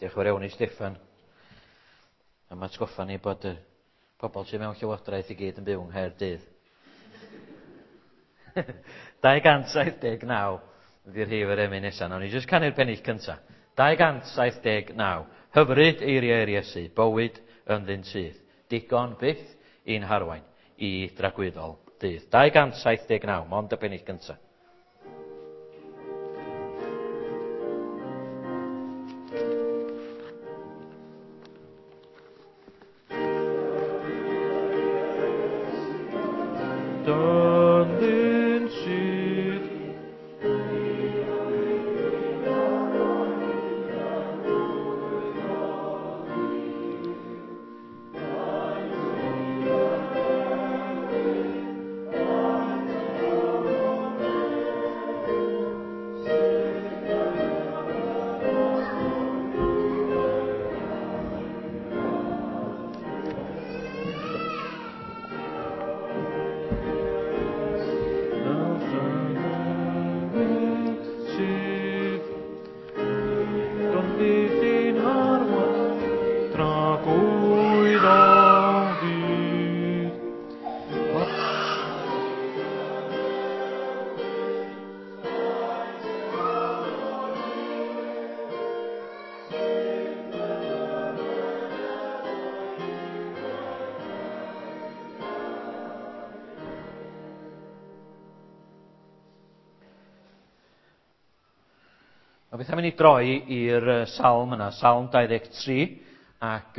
Diolch yn fawr iawn i Steffan am atgoffa ni bod y pobl sydd mewn llywodraeth i gyd yn byw yng Nghaerdydd. 279 ydy'r rhif yr emyn nesaf. Nawn ni jyst canu'r pennill cyntaf. 279. Hyfryd eiriau yr Iesu, bywyd ynddyn sydd. Digon byth i'n harwain i dragwyddol dydd. 279, mond y pennill cyntaf. Dyndyn sydd sydd Dyndyn harwain tragwyddol ddydd. A beth am i ni droi i'r salm yna, Salm 23, ac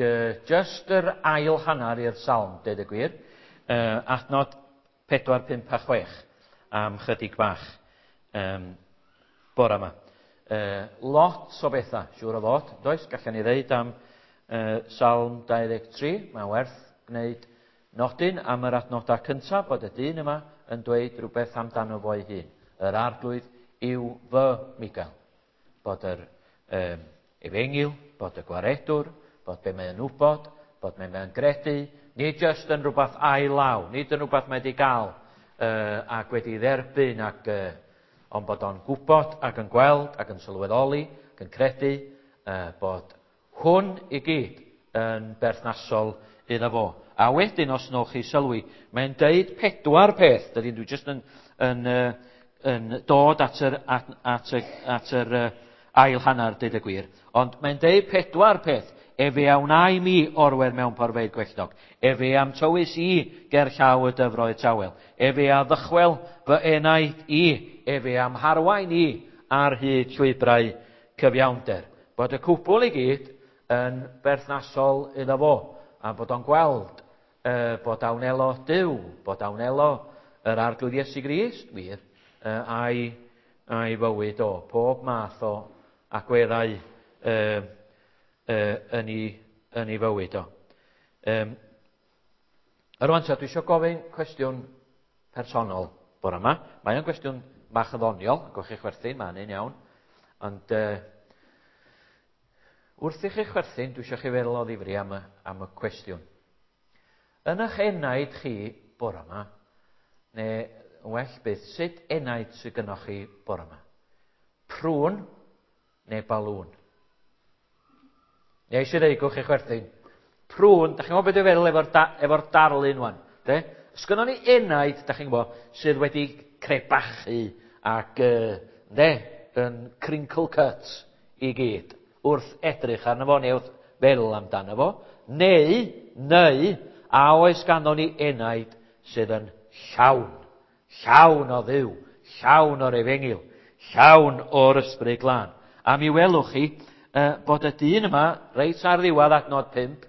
just yr ail hanner i'r salm, deud y gwir, adnod 4, 5 a 6, am chydig bach bore yma. Lot o bethau, siŵr o fod, does? Gallen ni ddeud am Salm 23, mae'n werth gwneud nodyn am yr adnodau cyntaf, bod y dyn yma yn dweud rhywbeth amdano fo'i hun. Yr arglwydd yw fy Michael. Bod yr efengyl, bod y gwaredwr, bod be mae'n wybod, bod be mae'n gredu, nid jyst yn rhywbeth ail law, nid yn rhywbeth mae wedi gael ac wedi dderbyn, ac, ond bod o'n gwybod ac yn gweld ac yn sylweddoli ac yn credu bod hwn i gyd yn berthnasol iddo fo. A wedyn, os nowch chi sylwi, mae'n deud 4 peth. Dydyn dwi jyst yn dod at yr ail hanner, deud y gwir. Ond mae'n deud 4 peth. Efe a wna i mi orwedd mewn porfeydd gwelltog. Efe am tywys i ger llaw y dyfroedd tawel. Efe a ddychwel fy enaid i. Efe am harwain i ar hyd llwybrau cyfiawnder. Bod y cwbl i gyd yn berthnasol iddo fo. A bod o'n gweld bod a wnelo Duw, bod a wnelo yr Arglwydd Iesu Grist, wir, a'i fywyd o, pob math o agweddau yn ei fywyd o. Rwan ta, dwi eisiau gofyn cwestiwn personol bore yma. Mae o'n gwestiwn bach yn ddoniol, gwch chi chwerthin, mae'n un iawn. Ond wrth i chi chwerthin, dwi eisiau chi feddwl o ddifri am y cwestiwn. Yn eich enaid chi bore yma, neu yn well byth, sut enaid sydd gynnoch chi bore yma? Prwn neu balŵn? Neu eisiau dweud, gwch chi chwerthin. Prwn, da chi'n gwybod beth dwi'n feddwl efo'r darlun wan, de? Os gynnon ni enaid, da chi'n gwybod, sydd wedi crebachu ac de, yn crinkle cut i gyd, wrth edrych arno fo, neu wrth feddwl amdano fo, neu, a oes ganddo ni enaid sydd yn llawn, llawn o Dduw, llawn o'r efengyl, llawn o'r ysbryd glân. A mi welwch chi bod y dyn yma, reit ar ddiwedd adnod 5,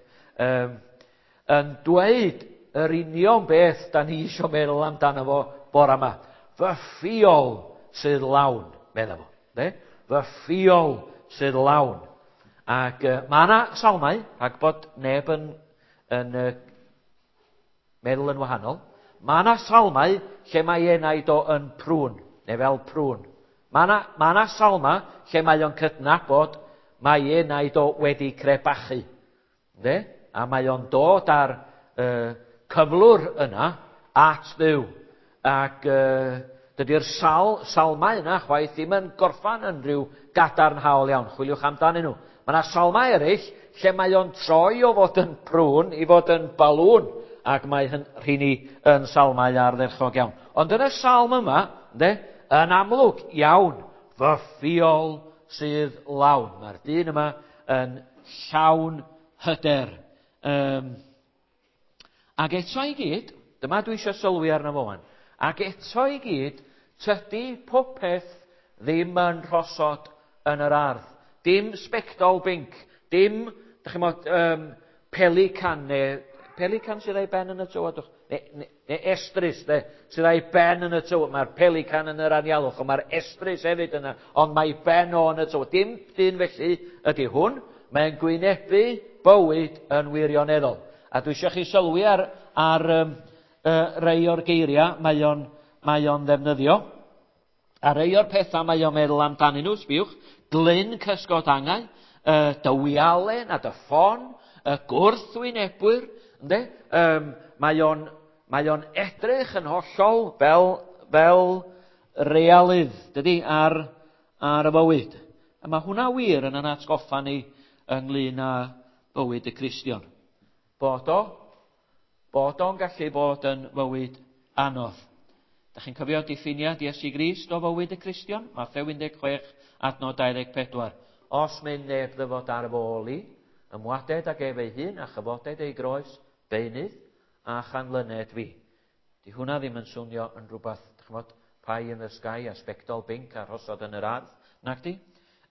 yn dweud yr union beth da ni isio meddwl amdano fo bore yma. Fy ffiol sydd lawn, medda fo. De? Fy ffiol sydd lawn. Ac mae yna salmau, rhag bod neb yn meddwl yn wahanol. Mae yna salmau lle mae enaid o yn prwn, neu fel prwn. Mae yna salma lle mae o'n cydnabod mae enaid o wedi crebachu. De? A mae o'n dod ar cyflwr yna at Dduw. Ac dydy'r salmau yna chwaith ddim yn gorffan yn rhyw gadarnhaol iawn. Chwiliwch amdanyn nhw. Mae yna salmau eraill lle mae o'n troi o fod yn prwn i fod yn balŵn, ac mae rheini yn salmau ardderchog iawn. Ond yn y salm yma, ynde, yn amlwg iawn, fy ffiol sydd lawn. Mae'r dyn yma yn llawn hyder. Ac eto i gyd, dyma dwi eisiau sylwi arno fo wan, ac eto i gyd, tydi popeth ddim yn rhosod yn yr ardd. Dim sbectol binc, dim, dych chi'n mod, pelican neu pelican sydd â'i ben yn y tywodwch, neu estrys, de, sydd â'i ben yn y tywod. Mae'r pelican yn yr anialwch, ond mae'r estrys hefyd yna, ond mae ben o yn y tywod. Dim dyn felly ydy hwn, mae'n gwynebu bywyd yn wirioneddol. A dwi eisiau chi sylwi ar rei o'r geiriau mae o'n ddefnyddio. A rei o'r pethau mae o'n meddwl amdanyn nhw, sbiwch, glyn cysgod angau, dywialen a dy ffon, y gwrthwynebwyr, ynde? Mae o'n edrych yn hollol fel realydd, dydy, ar y bywyd. A mae hwnna wir yn atgoffa ni ynglyn â bywyd y Cristion. Bod o'n gallu bod yn fywyd anodd. Dach chi'n cofio diffiniad Iesu Grist o fywyd y Cristion? Mathew 16, adnod 24. Os mynd neb ddyfod ar fy ôl i, ymwaded ag ef ei hun a chyfoded ei groes, beunydd a chanlyned fi. Di hwnna ddim yn swnio yn rhywbeth, dych chi'n gwbod, pie in the sky a sbectol binc a rhosod yn yr ardd, nac di?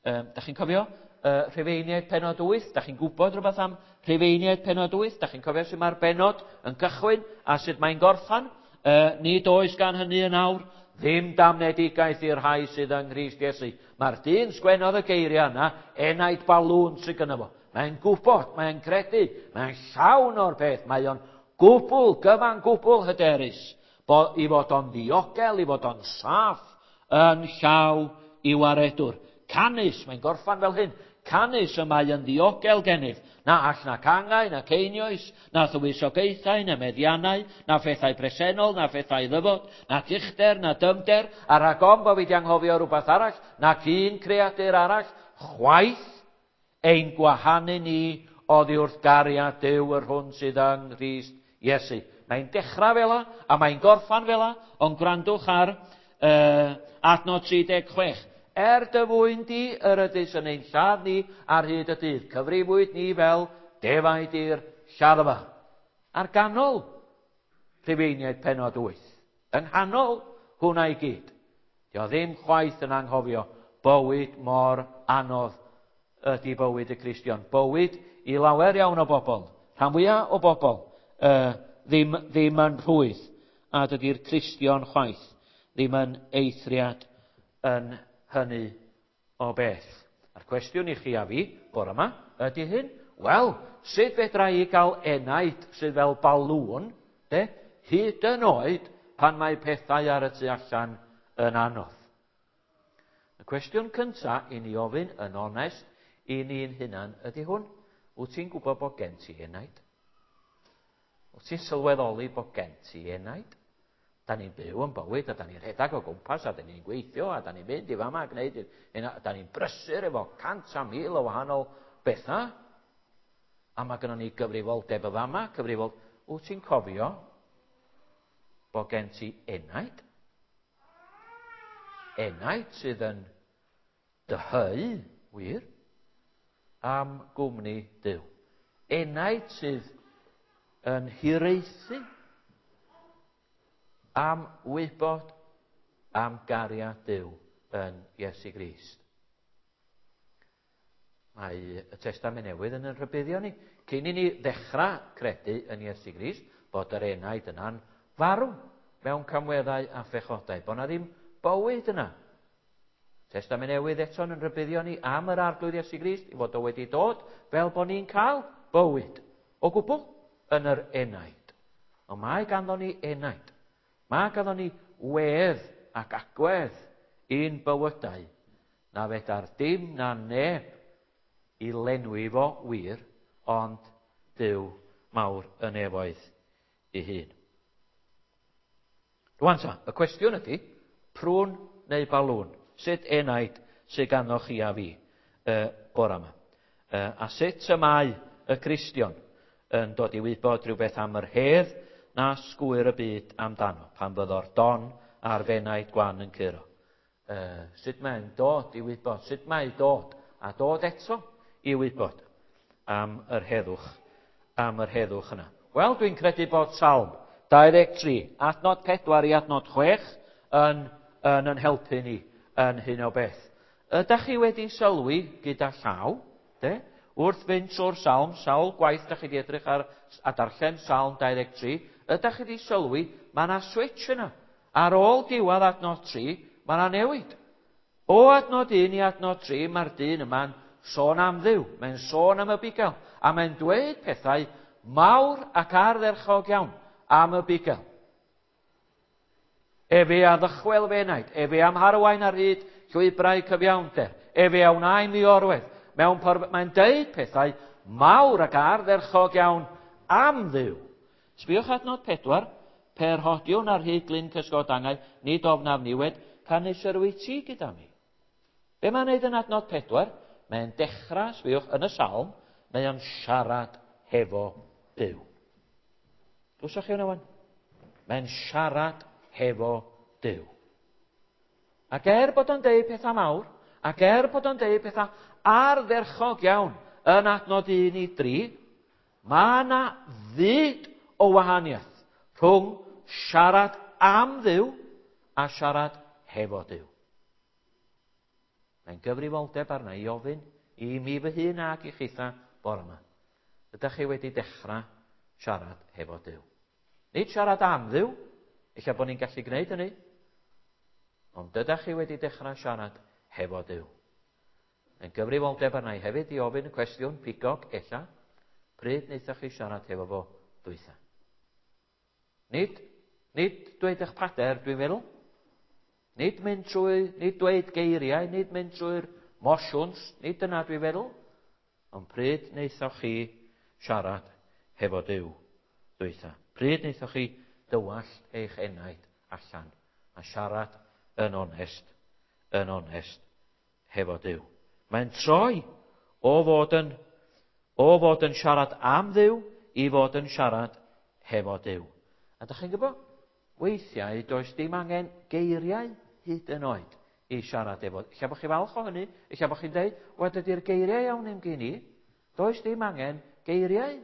Dach chi'n cofio Rhufeiniaid penod 8? Dach chi'n gwybod rhywbeth am Rhufeiniaid penod 8? Dach chi'n cofio sut mae'r benod yn cychwyn a sut mae'n gorffan? Nid oes gan hynny yn awr ddim damnedigaeth i'r rhai sydd yng Nghrist Iesu. Mae'r dyn sgwennodd y geiriau yna, enaid balŵn sydd gynno fo. Mae'n gwybod, mae'n credu, mae'n llawn o'r peth, mae o'n gwbl, gyfan gwbl hyderus, i fod o'n ddiogel, i fod o'n saff yn llaw i waredwr. Canys, mae'n gorffan fel hyn, canys y mae yn ddiogel gennyf, na all na cangau, na ceinioes, na thywysogaethau, na meddiannau, na phethau presennol, na phethau ddyfod, na uchder, na dymder, a rhag ofn bo fi 'di anghofio rhywbeth arall, nac un creadur arall, chwaith ein gwahanu ni oddi wrth gariad Duw yr hwn sydd yng Nghrist Iesu. Mae'n dechrau fel 'a, a mae'n gorffan fel 'a, ond gwrandwch ar adnod 36. Er dy fwyn di yr ydys yn ein lladd ni ar hyd y dydd, cyfrifwyd ni fel defaid i'r lladdfa. Ar ganol Rhufeiniaid penod 8, yng nghanol hwnna i gyd. Dio ddim chwaith yn anghofio bywyd mor anodd ydy bywyd y Cristion. Bywyd i lawer iawn o bobl, rhan fwyaf o bobl, ddim yn rhwydd, a dydy'r Cristion chwaith ddim yn eithriad yn hynny o beth. A'r cwestiwn i chi a fi, bore yma, ydy hyn? Wel, sut fedra i gael enaid sydd fel balŵn, de, hyd yn oed pan mae pethau ar y tu allan yn anodd? Y cwestiwn cynta i ni ofyn yn onest i ni'n hunan ydy hwn. Wyt ti'n gwybod bod gen ti enaid? Wyt ti'n sylweddoli bod gen ti enaid? Da ni'n byw yn bywyd, a da ni'n rhedeg o gwmpas, a da ni'n gweithio, a da ni'n mynd i fama a gwneud hyn, a da ni'n brysur efo 100 a 1000 o wahanol bethau. A mae gynnon ni gyfrifoldeb y fama, cyfrifol... Wyt ti'n cofio bod gen ti enaid? Enaid sydd yn dyheu, wir, am gwmni Duw. Enaid sydd yn hiraethu am wybod am gariad Duw yn Iesu Grist. Mae y Testament Newydd yn rhybuddio ni, cyn i ni ddechrau credu yn Iesu Grist, bod yr enaid yna'n farw mewn camweddau a phechodau, bod na ddim bywyd yna. Testament Newydd eto yn rhybuddio ni am yr Arglwydd Iesu Grist, i fod o wedi dod fel bod ni'n cael bywyd o gwbl yn yr enaid. Ond mae ganddo ni enaid. Mae ganddo ni wedd ac agwedd i'n bywydau na fedar dim na neb i lenwi fo wir, ond Duw mawr y nefoedd ei hun. Rwan ta, y cwestiwn ydy, prwn neu balŵn? Sut enaid sydd ganddo chi a fi bore yma? A sut y mae y Cristion yn dod i wybod rhywbeth am yr hedd na sgwyr y byd amdano, pan fyddo'r don a'r fenaid gwan yn curo. Sut mae'n dod i wybod, sut mae dod, a dod eto i wybod am yr heddwch, am yr heddwch yna. Wel, dwi'n credu bod Salm 23, adnod 4 i adnod 6 yn, yn, yn helpu ni yn hyn o beth. Ydych chi wedi sylwi gyda llaw, de? Wrth fynd trwy'r salm, sawl gwaith da chi wedi edrych ar a darllen Salm 23, ydych chi wedi sylwi, mae yna switch yna. Ar ôl diwedd adnod 3, mae yna newid. O adnod 1 i adnod 3, mae'r dyn yma'n sôn am Dduw, mae'n sôn am y bugail, a mae'n dweud pethau mawr ac ardderchog iawn am y bugail. Efe a ddychwel fy enaid, efe am harwain ar hyd llwybrau cyfiawnder, efe a wna i mi orwedd. Mewn por... Mae'n deud pethau mawr ac ardderchog iawn am Dduw. Sbiwch adnod 4, per hodiwn ar hyd glyn cysgod angau, nid ofnaf niwed, canys yr wyt ti gyda mi. Be mae'n neud yn adnod 4? Mae'n dechrau, sbiwch, yn y salm, mae o'n siarad hefo Duw. Glwsoch chi hwnna wan? Mae'n siarad hefo Duw. Ac er bod o'n deud pethau mawr, ac er bod o'n deud pethau ardderchog iawn yn adnod 1 i 3, mae yna fyd o wahaniaeth rhwng siarad am Dduw a siarad hefo Duw. Mae'n gyfrifoldeb arna i ofyn i mi fy hun ac i chitha bore yma. Ydych chi wedi dechrau siarad hefo Duw? Nid siarad am Dduw, ella bod ni'n gallu gwneud hynny, ond ydych chi wedi dechrau siarad hefo Duw? Mae'n gyfrifoldeb arna i hefyd i ofyn y cwestiwn pigog, ella, pryd wnaethoch chi siarad hefo fo dwytha? Nid, nid dweud eich pader, dwi'n meddwl. Nid mynd trwy, nid dweud geiriau, nid mynd trwy'r mosiwns, nid dyna dwi'n feddwl. Ond pryd wnaethoch chi siarad hefo Duw dwytha? Pryd wnaethoch chi dywallt eich enaid allan a siarad yn onest, yn onest hefo Duw? Mae'n troi o fod yn, o fod yn siarad am Dduw i fod yn siarad hefo Duw. A dych chi'n gwybod, weithiau does dim angen geiriau hyd yn oed i siarad efo. Ella bod chi falch o hynny, ella bod chi'n dweud, wel dydy'r geiriau iawn ddim gen i. Does dim angen geiriau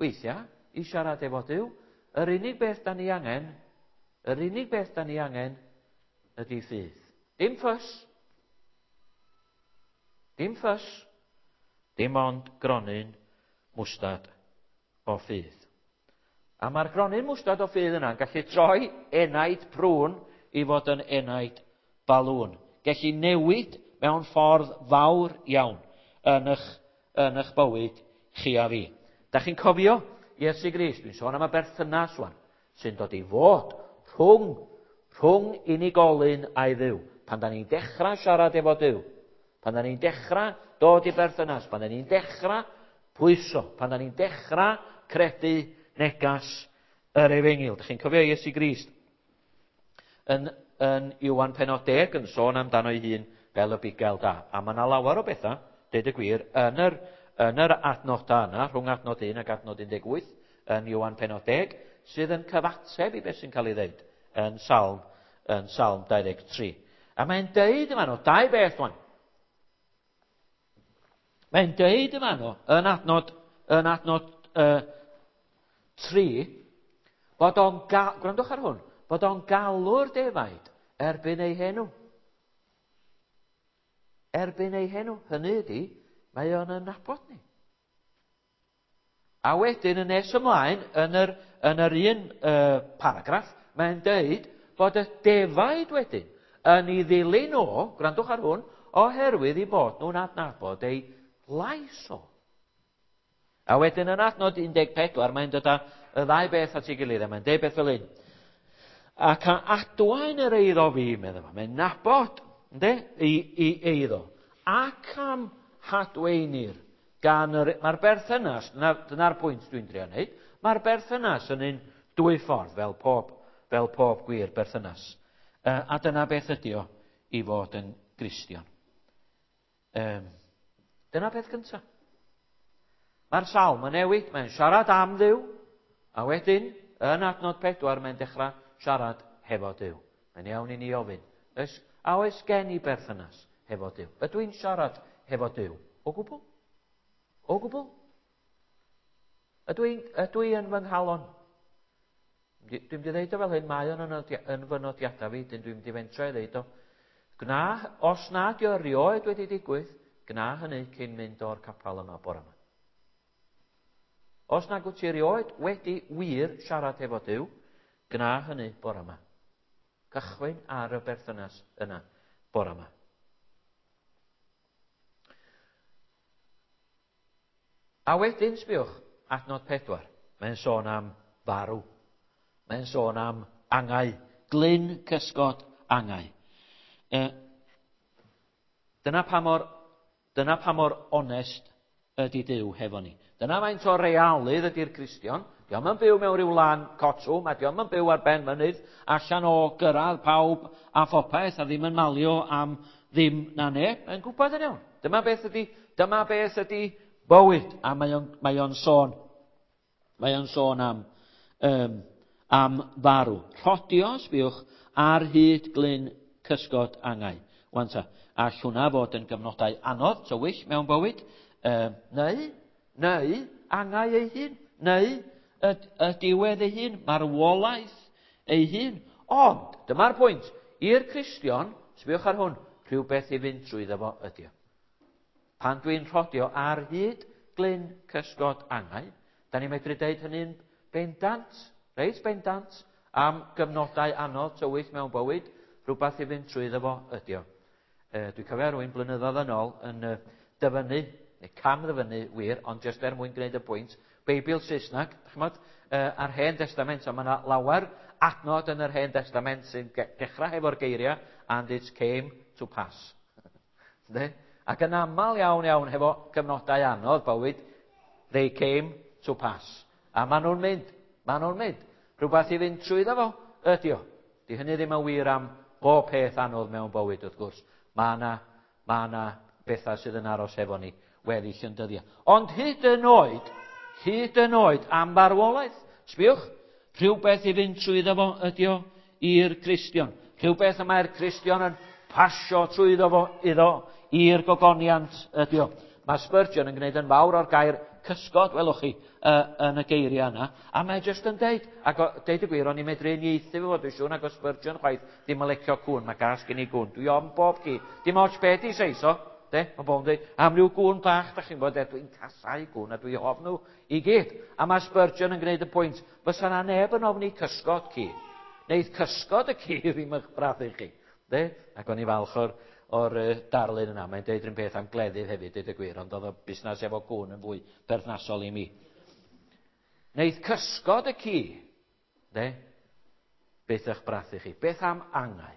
weithiau i siarad efo Duw. Yr unig beth da ni angen, yr unig beth da ni angen ydy ffydd. Dim ffys. Dim ffys. Dim ond gronyn mwstad o ffydd. A mae'r gronyn mwstad o ffydd yna'n gallu troi enaid prwn i fod yn enaid balŵn. Gellu newid mewn ffordd fawr iawn yn eich, yn eich bywyd chi a fi. Da chi'n cofio Iesu Grist, dwi'n sôn am y berthynas wan, sy'n dod i fod rhwng, rhwng unigolyn a'i Dduw. Pan da ni'n dechrau siarad efo Duw, pan da ni'n dechrau dod i berthynas, pan da ni'n dechrau pwyso, pan da ni'n dechrau credu negas yr efengyl. Dych chi'n cofio Iesu Grist yn, yn Iwan penod 10 yn sôn amdano ei hun fel y bugail da. A mae yna lawer o bethau, deud y gwir, yn yr, yn yr adnodau yna, rhwng adnod 1 ac adnod 18, yn Iwan penod 10, sydd yn cyfateb i beth sy'n cael ei ddeud yn Salm, yn Salm 23. A mae'n deud yma nhw, dau beth wan. Mae'n deud yma nhw, yn adnod, yn adnod 3, bod o'n, gwrandwch ar hwn, bod o'n galw'r defaid erbyn ei henw. Erbyn ei henw. Hynny ydy, mae o'n ynabod ni. A wedyn yn nes ymlaen, yn yr, yn yr un paragraff, mae'n deud bod y defaid wedyn yn ei ddilyn o, gwrandwch ar hwn, oherwydd i bod nhw'n adnabod ei lais o. A wedyn yn adnod 14, mae'n dod â y ddau beth at ei gilydd, a mae'n deud beth fel un. Ac a adwaen yr eiddo fi, meddai fo. Mae'n nabod, ynddi, i, i eiddo. Ac am hadweinir gan yr... Mae'r berthynas, dyna'r dyna pwynt dwi'n drio wneud, mae'r berthynas yn un dwy ffordd, fel pob, fel pob gwir berthynas. A dyna beth ydy o i fod yn Gristion. Dyna peth cyntaf. Mae'r salm yn newid, mae'n siarad am Dduw, a wedyn, yn adnod 4, mae'n dechrau siarad hefo Duw. Mae'n iawn i ni ofyn, a oes gen i berthynas hefo Duw? Ydw i'n siarad hefo Duw? O gwbl? O gwbl? Ydw i yn fy nghalon? Dwi'n mynd i ddeud o fel hyn, mae o'n yn fy nodiadau fi, dyn dwi'n mynd i fentro i ddeud o. Gwna, os na di o rioed wedi digwydd, gwna hynny cyn mynd o'r capel yma bore yma. Os nag wyt ti erioed wedi wir siarad hefo Duw, gwna hynny bore yma. Cychwyn ar y berthynas yna bore yma. A wedyn, sbiwch, adnod 4, mae'n sôn am farw. Mae'n sôn am angau, glyn cysgod angau. Dyna pa mor onest ydy Duw hefo ni. Dyna faint o realydd ydy'r Cristion. Dio'm yn byw mewn rhyw lan cotwm, a dio'm yn byw ar ben mynydd, allan o gyrraedd pawb a phopeth, a ddim yn malio am ddim na neb. Mae'n gwybod yn iawn. Dyma beth ydy bywyd. A mae o'n sôn am farw. Rhodio, sbiwch, ar hyd glyn cysgod angau. Wan ta, all hwnna fod yn gyfnodau anodd, tywyll mewn bywyd, neu angau ei hun, neu y diwedd ei hun, marwolaeth ei hun. Ond, dyma'r pwynt, i'r Cristion, sbiwch ar hwn, rhywbeth i fynd trwyddo fo ydi o. Pan dwi'n rhodio ar hyd glyn cysgod angau, da ni'n medru deud hynny'n bendant, reit bendant, am gyfnodau anodd tywyll mewn bywyd, rhywbeth i fynd trwyddo fo ydi o. Dwi'n cofio rhywun blynyddoedd yn ôl yn dyfynnu, neu cam ddyfynnu wir, ond jyst er mwyn gwneud y pwynt, Beibl Saesneg, ch'mod, a'r Hen Testament, a mae yna lawer adnod yn yr Hen Testament sy'n dechrau hefo'r geiriau, and it came to pass. Ac yn aml iawn iawn hefo cyfnodau anodd bywyd, they came to pass. A maen nhw'n mynd. Rhywbeth i fynd trwyddo fo ydi o. Di hynny ddim yn wir am bob peth anodd mewn bywyd, wrth gwrs. Mae yna bethau sydd yn aros efo ni weddill yn dyddiau. Ond hyd yn oed am farwolaeth, sbiwch, rhywbeth i fynd trwyddo fo ydi o i'r Cristion. Rhywbeth y mae'r Cristion yn pasio trwyddo fo iddo i'r gogoniant ydi o. Mae Spurgeon yn gwneud yn fawr o'r gair cysgod, welwch chi, yn y geiriau yna. A mae jyst yn deud, ac deud y gwir, o'n i'n medru uniaethu fo, dwi'n siŵr nag o Spurgeon chwaith, ddim yn licio cŵn, mae gas gen i gŵn. Dwi ofn bob ci, dim ots be di seis o, de, mae bobl yn deud, am ryw gŵn bach, da chi'n bod, dwi'n casau gŵn a dwi ofn nhw i gyd. A mae Spurgeon yn gwneud y pwynt, fysa na neb yn ofni cysgod ci. Neith cysgod y ci ddim eich brathu chi. De? Ac o'n i falch o'r darlun yna. Mae'n deud rhywun peth am gleddyf hefyd, deud y gwir, ond oedd y busnes efo gŵn yn fwy berthnasol i mi. Neith cysgod y ci, de? Beth eich brathu chi? Beth am angau?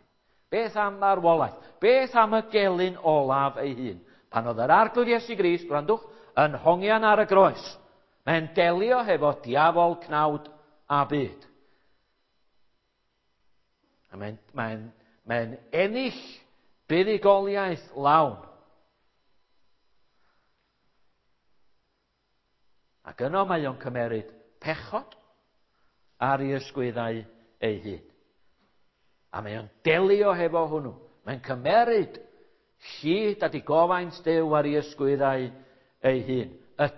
Beth am marwolaeth? Beth am y gelyn olaf ei hun? Pan oedd yr Arglwydd Iesu Grist, gwrandwch, yn hongian ar y groes, mae'n delio hefo diafol, cnawd a byd. A mae'n ennill buddugoliaeth lawn. Ac yno mae o'n cymeryd pechod ar ei ysgwyddau ei hun. A mae o'n delio hefo hwnnw. Mae'n cymeryd llid a digofaint Duw ar ei ysgwyddau ei hun. Y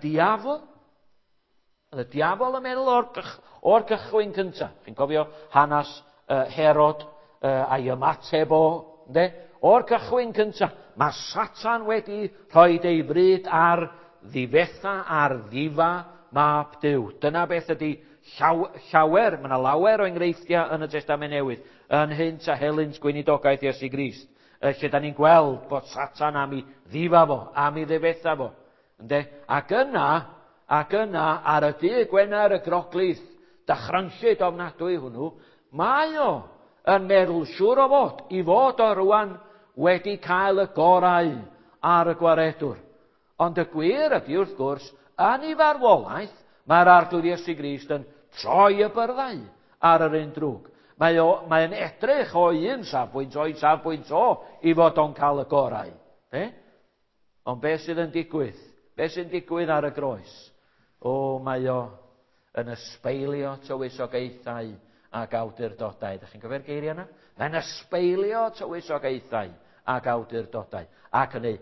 diafol yn meddwl o'r cychwyn cyntaf. Chi'n cofio hanes Herod a'i ymateb o, ynde? O'r cychwyn cyntaf, mae Satan wedi rhoi ei fryd ar ddifetha, ar ddifa mab Duw. Dyna beth ydy llawer, mae yna lawer o enghreifftiau yn y Testament Newydd, yn hynt a helynt gweinidogaeth Iesu Grist, lle da ni'n gweld bod Satan am ei ddifa fo, am ei ddifetha fo. Ynde? Ac yna, ar y dydd Gwener y Groglith, dychrynllyd ofnadwy hwnnw, mae o yn meddwl siŵr o fod, i fod o rwan wedi cael y gorau ar y gwaredwr. Ond y gwir ydy, wrth gwrs, yn ei farwolaeth, mae'r Arglwydd Iesu Grist yn troi y byrddau ar yr un drwg. Mae'n edrych o un safbwynt, o'i safbwynt o, i fod o'n cael y gorau. Ond beth sydd yn digwydd? Beth sy'n digwydd ar y groes? O, mae o yn ysbeilio tywysogaethau ac awdurdodau. Ydych chi'n cofio'r geiriau yna? Mae'n ysbeilio tywysogaethau ac awdurdodau ac yn eu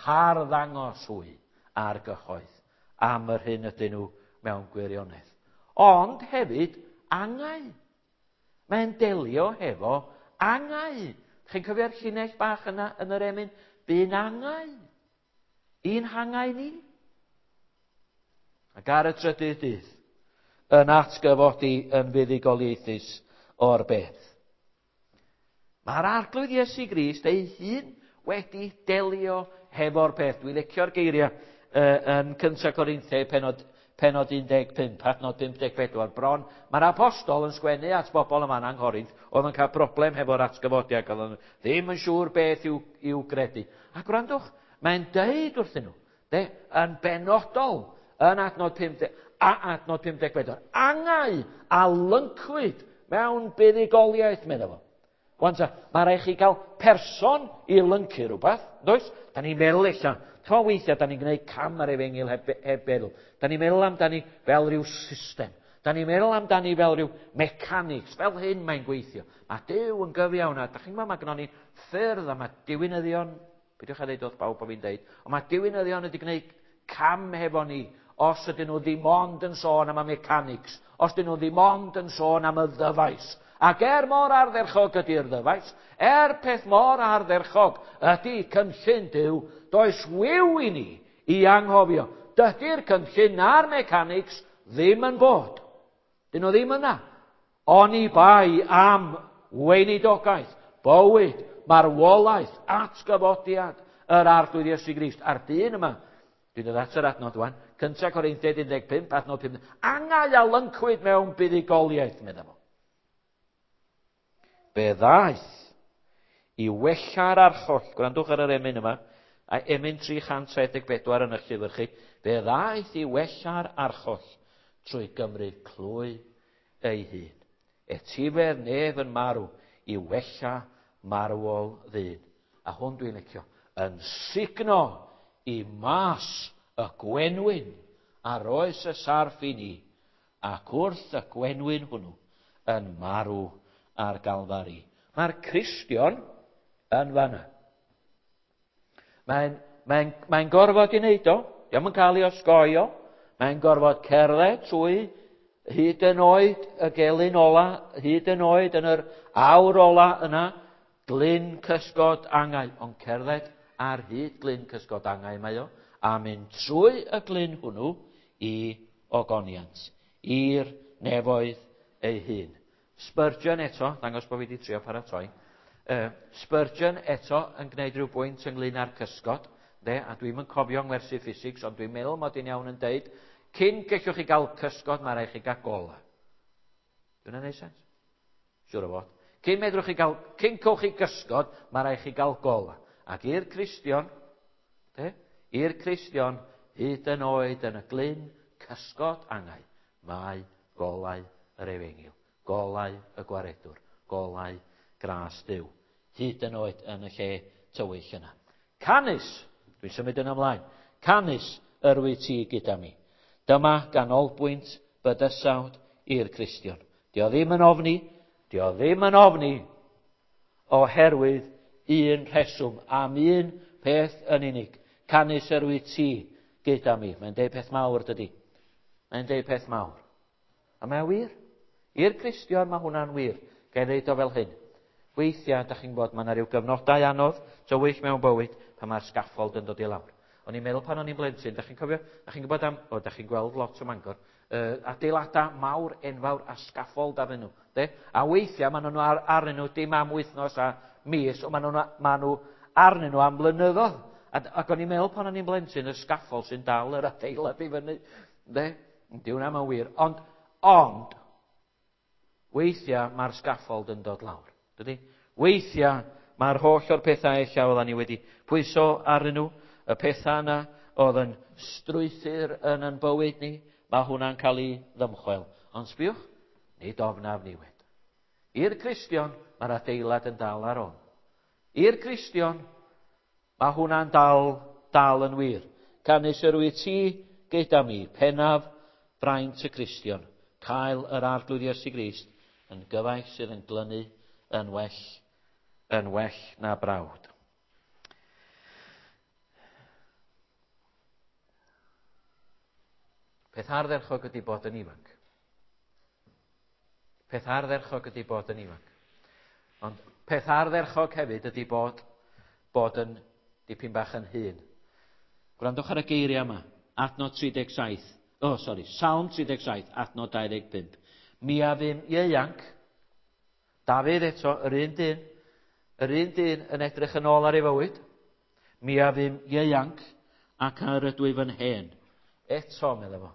harddangos hwy ar gyhoedd am yr hyn ydyn nhw mewn gwirionedd. Ond hefyd, angau. Mae'n delio hefo angau. Chi'n cofio'r llinell bach yna yn yr emyn? Bu'n angau. I'n hangau ni. Ac ar y trydydd dydd, yn atgyfodi yn fuddugoliaethus o'r bedd. Mae'r Arglwydd Iesu Grist ei hun wedi delio hefo'r peth. Dwi'n licio'r geiriau yn 1 Corinthiau penod 15, adnod 54. Bron, mae'r apostol yn sgwennu at bobl yma yng Nghorinth oedd yn cael broblem hefo'r atgyfodiad, oedd ddim yn siŵr beth i'w gredu. A gwrandwch, mae'n deud wrthyn nhw, de, yn benodol, yn adnod 50, a adnod 54, angau a lyncwyd mewn buddugoliaeth, meddwl fo. Wan ta, mae rhaid chi gael person i lyncu rhywbeth, does? Da ni'n meddwl ella, tro weithiau, da ni'n gwneud cam ar efengyl heb feddwl. Da ni'n meddwl amdani fel rhyw system. Da ni'n meddwl amdani fel rhyw mechanics, fel hyn mae'n gweithio. Mae Duw yn gyfiawn, a da chi'n gwybod, mae gynnon ni ffyrdd, a mae diwinyddion, peidiwch â dweud wrth bawb bod fi'n deud, ond mae diwinyddion wedi gwneud cam hefo ni, os ydyn nhw ddim ond yn sôn am y mechanics, os ydyn nhw ddim ond yn sôn am y ddyfais. Ac er mor ardderchog ydy'r ddyfais, er peth mor ardderchog ydy cynllun Duw, does wiw i ni i anghofio. Dydy'r cynllun na'r mechanics ddim yn bod. Dyn nhw ddim yna. Oni bai am weinidogaeth, bywyd, marwolaeth, atgyfodiad yr Arglwydd Iesu Grist. A'r dyn yma, dwi'n dod at yr adnod wan, 1 Corinthiaid 15, adnod 5, angau a lyncwyd mewn buddugoliaeth, meddai fo. Fe ddaeth i wella'r archoll, gwrandwch ar yr emyn yma, a emyn 374 yn eich llyfr chi, fe ddaeth i wella'r archoll trwy gymryd clwy ei hun. Etifedd nef yn marw i wella marwol ddyn. A hwn dwi'n licio, yn sugno i mas y gwenwyn a roes y sarff i ni, ac wrth y gwenwyn hwnnw yn marw ar Galfari. Mae'r Cristion yn fanna. Mae'n gorfod i wneud o. Dio'm yn cael ei osgoi o. Mae'n gorfod cerdded trwy hyd yn oed y gelyn ola, hyd yn oed yn yr awr ola yna, glyn cysgod angau. Ond cerdded ar hyd glyn cysgod angau mae o, a mynd trwy y glyn hwnnw i ogoniant, i'r nefoedd ei hun. Spurgeon eto, ddangos bod fi wedi trio paratoi, Spurgeon eto yn gwneud rhyw bwynt ynglyn â'r cysgod, de, a dwi'm yn cofio ngwersi ffisics, ond dwi'n meddwl mod i'n iawn yn deud, cyn gellwch chi gael cysgod, mae rhaid chi gael gola. Dwi'n gwneud sens? Siŵr o fod. Cyn medrwch chi gael, cyn cewch chi gysgod, mae rhaid chi gael gola. Ac i'r Cristion, de, i'r Cristion, hyd yn oed yn y glyn cysgod angau, mae golau yr efengyl, golau y gwaredwr, golau gras Duw, hyd yn oed yn y lle tywyll yna. Canys, dwi'n symud yn ymlaen, canys yr wyt ti gyda mi. Dyma ganolbwynt bydysawd i'r Cristion. Dio ddim yn ofni, dio ddim yn ofni, oherwydd un rheswm, am un peth yn unig. Canys yr wyt ti gyda mi. Mae'n deud peth mawr, dydy. Mae'n deud peth mawr. A mae'n wir. I'r Cristion mae hwnna'n wir. Ga i ddeud o fel hyn. Weithiau, da chi'n gwybod, mae yna rhyw gyfnodau anodd, tywyll mewn bywyd, pan mae'r scaffold yn dod i lawr. O'n i'n meddwl pan o'n i'n blentyn, da chi'n cofio, da chi'n gwybod am, o, da chi'n gweld lot o Mangor, adeiladau mawr, enfawr a scaffold arnyn nhw. De? A weithiau maen nhw arnyn nhw dim am wythnos a mis, ond maen nhw arnyn nhw am blynyddoedd. Ac o'n i'n meddwl pan o'n i'n blentyn, y scaffold sy'n dal yr adeilad i fyny. De? Di hwnna mewn wir. Ond, weithiau mae'r scaffold yn dod lawr. Dydy? Weithiau mae'r holl o'r pethau ella oeddan ni wedi pwyso arnyn nhw, y pethau yna oedd yn strwythur yn ein bywyd ni, mae hwnna'n cael ei ddymchwel. Ond sbiwch, nid ofnaf niwed. I'r Cristion, mae'r adeilad yn dal ar ôl. I'r Cristion, mae hwnna'n dal yn wir. Canys yr wyt ti gyda mi, pennaf Braint y Cristion, cael yr Arglwydd Iesu Grist yn gyfaill sydd yn glynu yn well, yn well na brawd. Peth ardderchog ydy bod yn ifanc. Peth ardderchog ydy bod yn ifanc. Ond peth ardderchog hefyd ydy bod, bod yn dipyn bach yn hŷn. Gwrandwch ar y geiriau yma. Adnod 37. Oh, sori. Salm 37, adnod 25. Mi a fum ieuanc. Dafydd eto, yr un dyn. Yr un dyn yn edrych yn ôl ar ei fywyd. Mi a fum ieuanc ac a yr ydwyf yn hen. Eto, meddai fo,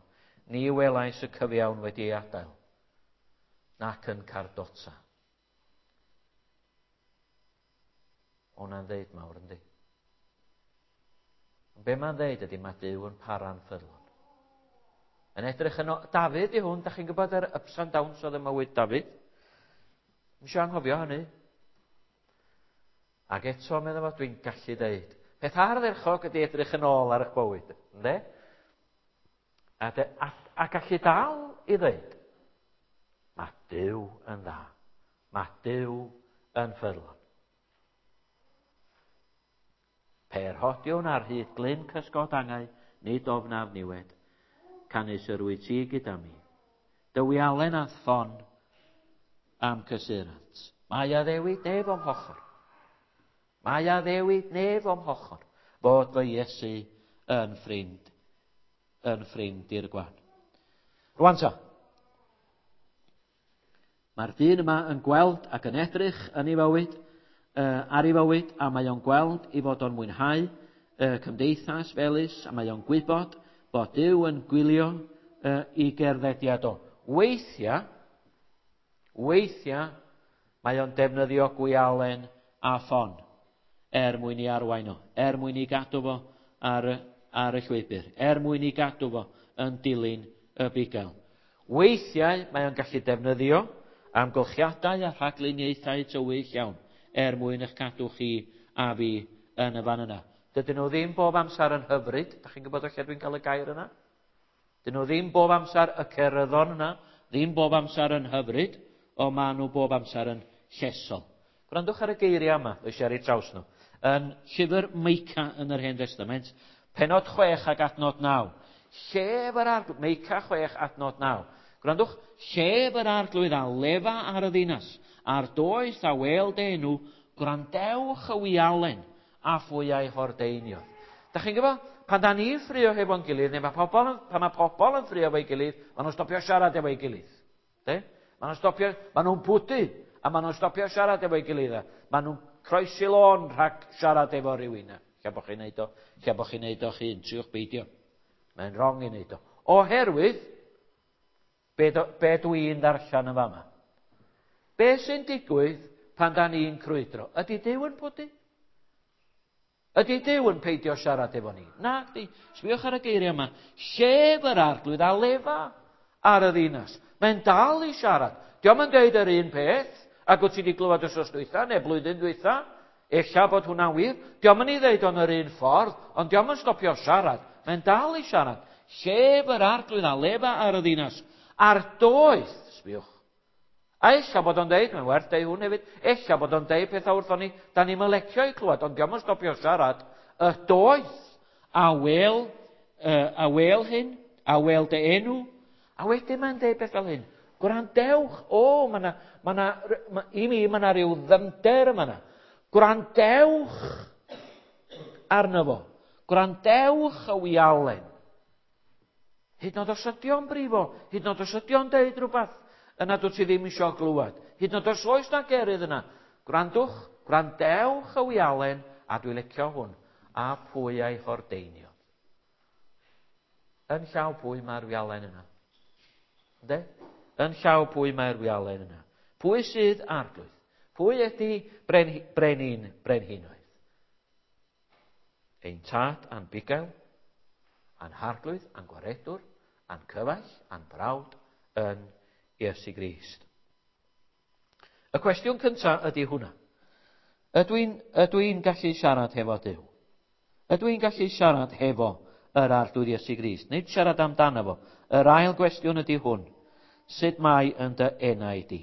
ni welais y cyfiawn wedi ei adael, nac yn cardota. Hwna'n ddeud mawr, yndi? Ond be mae'n ddeud ydy mae Duw yn para'n ffyddlon. Yn edrych yn o... Dafydd i hwn, da chi'n gwybod yr ups and downs oedd y mywyd Dafydd? Ddim eisiau anghofio hynny. Ac eto, meddai fo, dwi'n gallu deud, peth ardderchog ydy edrych yn ôl ar eich bywyd, ynddo? A, de, a, a gallu dal i ddeud, mae Duw yn dda. Mae Duw yn ffyddlon. Pe'r hodiwn ar hyd glyn cysgod angau, nid ofnaf niwed, canys yr wyt ti gyda mi. Dy wialen a'th ffon a'm cysurant. Mae addewid nef o'm hochr. Mae addewid nef o'm hochr, fod fy Iesu yn ffrind, yn ffrind i'r gwan. Rwan ta, mae'r dyn yma yn gweld ac yn edrych yn ei fywyd, uh, ar ei fywyd, a mae o'n gweld i fod o'n mwynhau uh, cymdeithas felys, a mae o'n gwybod bod Duw yn gwylio uh, i gerddediad o. Weithiau, weithiau, mae o'n defnyddio gwialen a ffon er mwyn i arwain o, er mwyn i gadw fo ar, ar y llwybr, er mwyn i gadw fo yn dilyn y bugail. Weithiau mae o'n gallu defnyddio amgylchiadau a rhagluniaethau tywyll iawn er mwyn eich cadw chi a fi yn y fan yna. Dydyn nhw ddim bob amser yn hyfryd. Da chi'n gwybod o lle dwi'n cael y gair yna? Dyn nhw ddim bob amser y ceryddon yna, ddim bob amser yn hyfryd, ond maen nhw bob amser yn llesol. Gwrandwch ar y geiriau yma, dwi eisiau ar eu traws nhw. Yn llyfr Meica yn yr Hen Testament, penod 6 ac adnod 9. Llef yr arglwydd, Meica 6 adnod 9. Gwrandwch, llef yr arglwydd a lefa ar y ddinas, a'r doeth a wel dy enw, gwrandewch y wialen a phwy a'i hordeiniodd. Da chi'n gwybod, pan da ni'n ffrio hefo'n gilydd, neu mae pobl, pan mae pobl yn ffrio efo'i gilydd, maen nhw'n stopio siarad efo'i gilydd. De? Maen nhw'n stopio, maen nhw'n pwdu, a maen nhw'n stopio siarad efo'i gilydd. Maen nhw'n croesi lôn rhag siarad efo rhywun. Lle bod chi'n neud o, lle bod chi'n neud o'ch hun, triwch beidio. Mae'n wrong i neud o. Oherwydd, be, do, be dwi'n ddarllen yn fama? Be sy'n digwydd pan da ni'n crwydro? Ydy Duw yn pwdu? Ydy Duw yn peidio siarad efo ni? Na, di. Sbiwch ar y geiriau yma. Llef yr arglwydd a lefa ar y ddinas. Mae'n dal i siarad. Dio'm yn deud yr un peth ag wyt ti wedi glywed wythnos dwytha neu blwyddyn dwytha. Ella bod hwnna'n wir. Dio'm yn ei ddeud o'n yr un ffordd, ond dio'm yn stopio siarad. Mae'n dal i siarad. Llef yr arglwydd a lefa ar y ddinas. A'r doeth, sbiwch, A ella bod o'n deud, mae'n werth deud hwn hefyd, ella bod o'n deud pethau wrthon ni, da ni'm yn lecio i clywed, ond dio'm yn stopio siarad, y doeth a wel, uh, a wel hyn, a wel dy enw, a wedyn mae'n deud beth fel hyn, gwrandewch, o, oh, mae na, ma na, ma, i mi, mae na rhyw ddyfnder yma na. Gwrandewch arno fo. Gwrandewch y wialen. Hyd yn oed os ydy o'n brifo, hyd yn oed os ydy o'n deud rhywbeth yna dwyt ti ddim eisiau glywed. Hyd yn oed os oes na gerydd yna. Gwrandwch, gwrandewch y wialen, a dwi licio hwn, a pwy a'i hordeiniodd. Yn llaw pwy mae'r wialen yna? Ynde? Yn llaw pwy mae'r wialen yna? Pwy sydd arglwydd? Pwy ydy bren, brenin brenhinoedd? Ein tad a'n bugail, a'n harglwydd, a'n gwaredwr, a'n cyfaill, a'n brawd yn Iesu Grist. Y cwestiwn cyntaf ydy hwnna. Ydw i'n, ydw i'n gallu siarad hefo Duw? Ydw i'n gallu siarad hefo yr Arglwydd Iesu Grist. Nid siarad amdano fo. Yr ail gwestiwn ydy hwn. Sut mae yn dy enau di?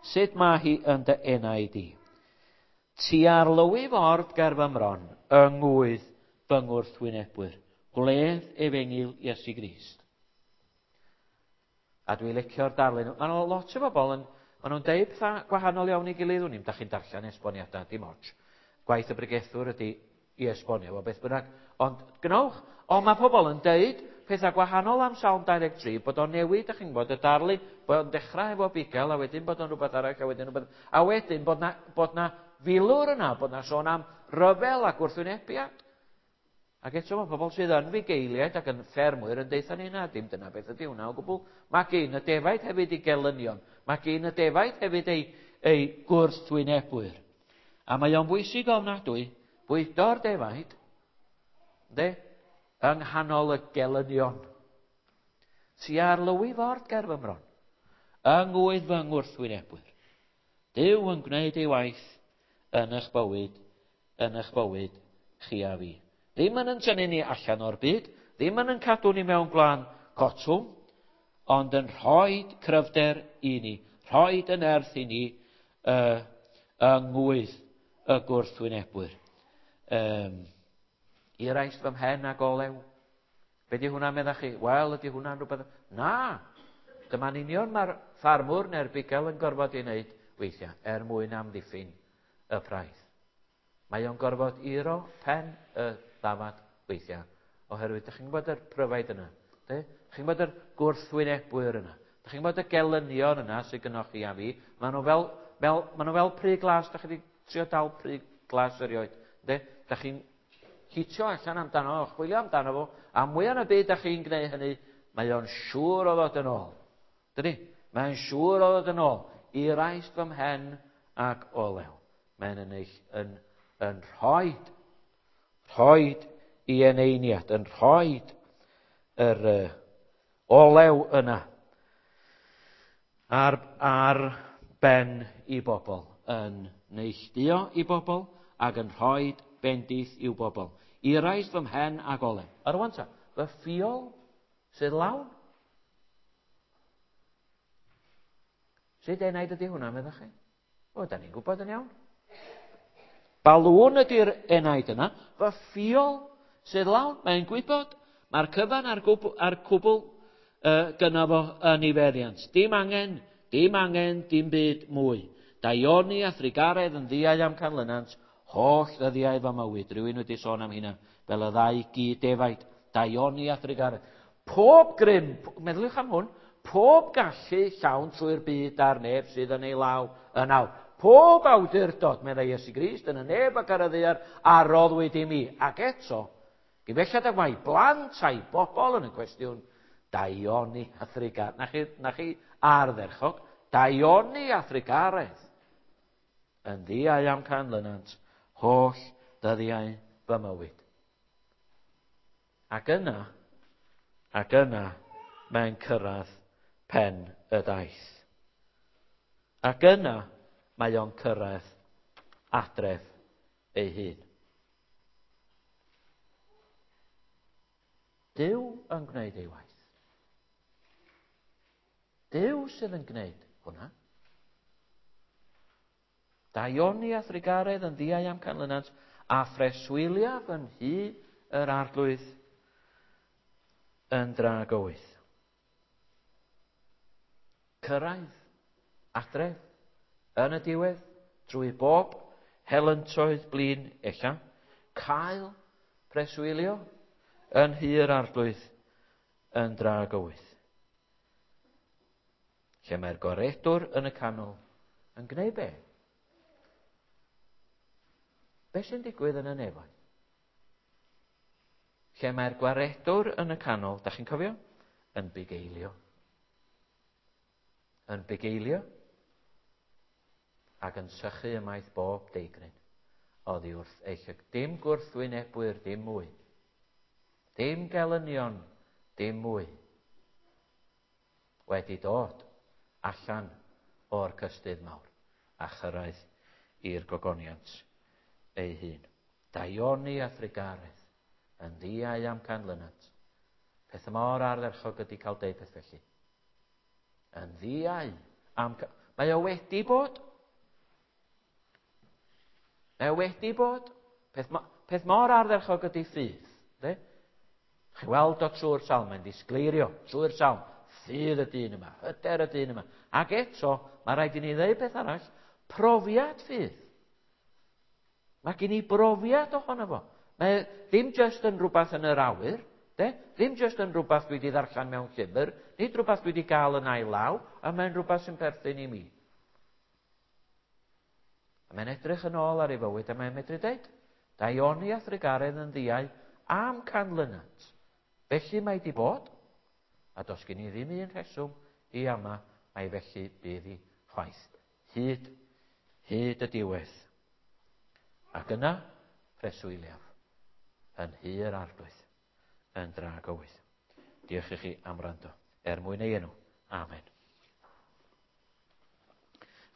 Sut mae hi yn dy enau di? Ti ar lywi ford ger fy mron, yng ngwydd fy ngwrthwynebwyr. Gwledd efengyl Iesu Grist. A dwi'n licio'r darlun. Mae yna lot o bobl yn... Maen nhw'n deud pethau gwahanol iawn i gilydd. Wn i'm, da chi'n darllen esboniadau, dim ots. Gwaith y bregethwr ydy i esbonio fo beth bynnag. Ond gnewch. Ond mae pobl yn deud pethau gwahanol am Salm 23, bod o'n newid, da chi'n gwybod, y darlun, bod o'n dechrau efo bugail, a wedyn bod o'n rhywbeth arall, a wedyn rhywbeth... A wedyn bod na, bod na filwr yna, bod na sôn am ryfel a gwrthwynebiad. Ac eto mae pobl sydd yn fugeiliaid ac yn ffermwyr yn deutha ni na, dim dyna beth ydy hwnna o gwbl. Mae gyn y defaid hefyd ei gelynion. Mae gyn y defaid hefyd ei, ei gwrthwynebwyr. A mae o'n bwysig ofnadwy bwydo'r defaid, de, yng nghanol y gelynion. Ti ar lywi ford ger fy mron, yng ngwydd fy ngwrthwynebwyr. Duw yn gwneud ei waith yn eich bywyd, yn eich bywyd, chi a fi. Ddim yn yn tynnu ni allan o'r byd, ddim yn yn cadw ni mewn gwlân cotwm, ond yn rhoi cryfder i ni, rhoi y nerth i ni yng ngwydd y gwrthwynebwyr. Iraist fy mhen ag olew. Be di hwnna, meddach chi? Wel, ydy hwnna'n rhywbeth... Na! Dyma'n union mae'r ffarmwr neu'r bugail yn gorfod ei wneud weithiau er mwyn amddiffyn y praidd. Mae o'n gorfod iro pen y ddafad weithiau, oherwydd dych chi'n gwybod yr pryfaid yna, de? Dych chi'n gwybod yr gwrthwynebwyr yna, dych chi'n gwybod y gelynion yna sydd gynnwch chi a fi, maen nhw fel, fel, maen nhw fel pry glas, dych chi wedi trio dal pry glas erioed, de? Dych chi'n hitio allan amdano, chwilio amdano fo, a mwyaf yn y byd dych chi'n gwneud hynny, mae o'n siŵr o ddod yn ôl. Dydy? Mae'n siŵr o ddod yn ôl. Iraist fy mhen ac olew. Mae'n yn, eich, yn, yn rhoid, rhoid i eneiniad, yn rhoid yr olew yna ar, ar ben i bobl, yn neilltuo i bobl ac yn rhoi bendith i'w bobl. Iraist fy mhen ag olew. A rwan ta, fy ffiol sydd lawn. Sut enaid ydy hwnna, meddach chi? O, da ni'n gwybod yn iawn. Balŵn ydy'r enaid yna. Fy ffiol sydd lawn, mae'n gwybod. Mae'r cyfan a'r gwbl, a'r cwbl gynno fo yn ei feddiant. Dim angen, dim angen, dim byd mwy. Daioni a thrugaredd yn ddiau am canlynant, holl ddyddiau fy mywyd. Rhywun wedi sôn am hynna, fel y ddau gyd defaid. Daioni a thrugaredd. Pob grym, meddyliwch am hwn, pob gallu llawn trwy'r byd a'r neb sydd yn ei law yn awr. Pob awdurdod, meddai Iesu Grist, yn y neb ac ar y ddaear, a roddwyd i mi. Ac eto, gyfeillad ag mae blant a'i bobl yn y cwestiwn, daioni a thrugaredd. Na chi, na chi ardderchog, daioni a thrugaredd. Yn ddiau am canlynant, holl ddyddiau fy mywyd. Ac yna, ac yna, mae'n cyrraedd pen y daith. Ac yna, mae o'n cyrraedd adref ei hun. Duw yn gwneud ei waith. Duw sydd yn gwneud hwnna. Daioni a thrugaredd yn ddiau am canlynant, a phreswyliaf yn nhŷ yr Arglwydd yn dragywydd. Cyrraedd adref yn y diwedd drwy bob helyntoedd blin ella, cael preswylio yn nhŷ yr Arglwydd yn dragywydd. Lle mae'r gwaredwr yn y canol yn gwneud be? Be sy'n digwydd yn y nefoedd? Lle mae'r gwaredwr yn y canol, da chi'n cofio? Yn bugeilio. Yn bugeilio ac yn sychu ymaith bob deigryn oddi wrth ei llyg. Dim gwrthwynebwyr, dim mwy. Dim gelynion, dim mwy. Wedi dod allan o'r cystudd mawr a chyrraedd i'r gogoniant ei hun. Daioni a thrugaredd Yn ddiau am canlynant. Peth mor ardderchog ydy cael deud peth felly. Yn ddiau am... Mae o wedi bod. Mae o wedi bod. Peth, peth mor ardderchog ydy ffydd. De? Chi weld o trwy'r salm, mae'n disgleirio trwy'r salm. Ffydd y dyn yma, hyder y dyn yma. Ac eto, mae rhaid i ni ddeud peth arall, profiad ffydd. Mae gen i brofiad ohono fo. Mae ddim jyst yn rhywbeth yn yr awyr, de? Ddim jyst yn rhywbeth dwi wedi ddarllen mewn llyfr, nid rhywbeth dwi wedi gael yn ail law, a mae'n rhywbeth sy'n perthyn i mi. A mae'n edrych yn ôl ar ei fywyd a mae'n medru dweud, daioni a thrugaredd yn ddiau am canlynant. Felly mae di bod, a does gen i ddim un rheswm i ama, mai felly bydd hi chwaith. Hyd, hyd y diwedd. Ac yna, preswyliaf, yn hir arglwydd, yn dragywydd. Diolch i chi am wrando. Er mwyn ei enw. Amen.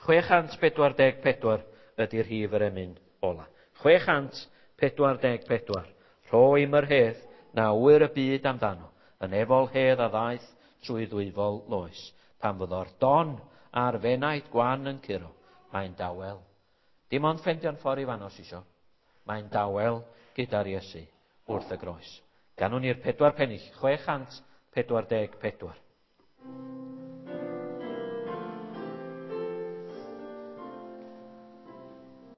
644 ydy'r rhif yr emyn ola. 644. Rho im yr hedd na ŵyr y byd amdano, yn efol hedd a ddaeth trwy ddwyfol loes. Pan fyddo'r don a'r fenaid gwan yn curo, mae'n dawel. Dim ond ffendio'n ffordd i fanno isio. Mae'n dawel gyda'r Iesu wrth y groes. Ganwn ni'r pedwar pennill, 644.